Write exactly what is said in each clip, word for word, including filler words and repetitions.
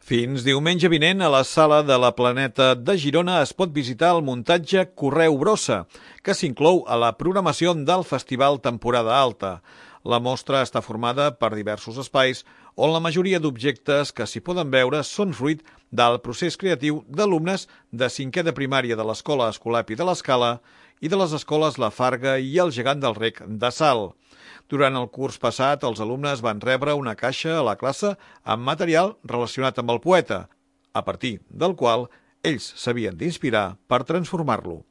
Fins diumenge vinent, a la Sala de la Planeta de Girona es pot visitar el muntatge Correu Brossa, que s'inclou a la programació del Festival Temporada Alta. La mostra està formada per diversos espais on la majoria d'objectes que s'hi poden veure són fruit del procés creatiu d'alumnes de cinquè de primària de l'Escola Escolapi de l'Escala i de les escoles La Farga i el Gegant del Rec de Salt. Durant el curs passat, els alumnes van rebre una caixa a la classe amb material relacionat amb el poeta, a partir del qual ells s'havien d'inspirar per transformar-lo.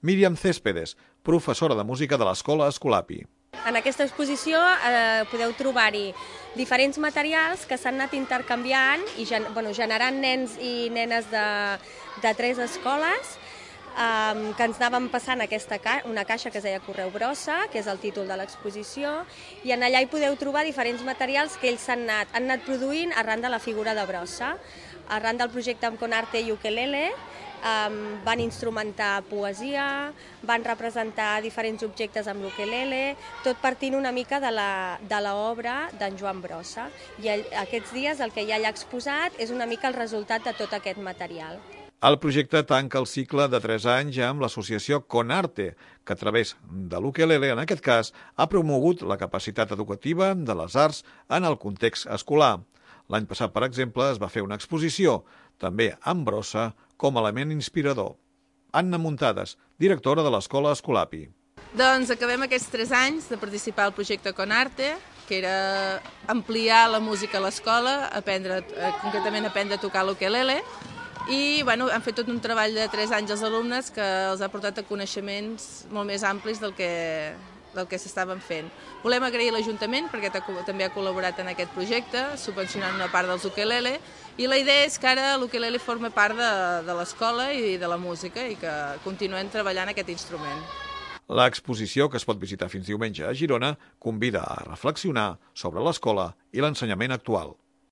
Míriam Céspedes, professora de música de l'Escola Escolapi. En aquesta exposició eh, podeu trobar-hi diferents materials que s'han anat intercanviant i gen bueno, generant nens i nenes de, de tres escoles Um, que ens anàvem passant aquesta ca una caixa que es deia Correu Brossa, que és el títol de l'exposició, i en allà hi podeu trobar diferents materials que ells han anat, han anat produint arran de la figura de Brossa. Arran del projecte amb Conarte i Ukelele um, van instrumentar poesia, van representar diferents objectes amb l'ukelele, tot partint una mica de l'obra d'en Joan Brossa. I aquests dies el que hi ha allà exposat és una mica el resultat de tot aquest material. El projecte tanca el cicle de tres anys amb l'associació Conarte, que a través de l'ukelele, en aquest cas, ha promogut la capacitat educativa de les arts en el context escolar. L'any passat, per exemple, es va fer una exposició, també amb brossa, com a element inspirador. Anna Muntades, directora de l'Escola Escolapi. Doncs acabem aquests tres anys de participar al projecte Conarte, que era ampliar la música a l'escola, aprendre, concretament aprendre a tocar l'ukelele, i bueno, han fet tot un treball de tres anys als alumnes que els ha portat a coneixements molt més amplis del que, del que s'estaven fent. Volem agrair l'Ajuntament perquè també ha col·laborat en aquest projecte, subvencionant una part dels ukelele, i la idea és que ara l'ukelele forma part de, de l'escola i de la música i que continuem treballant aquest instrument. L'exposició, que es pot visitar fins diumenge a Girona, convida a reflexionar sobre l'escola i l'ensenyament actual.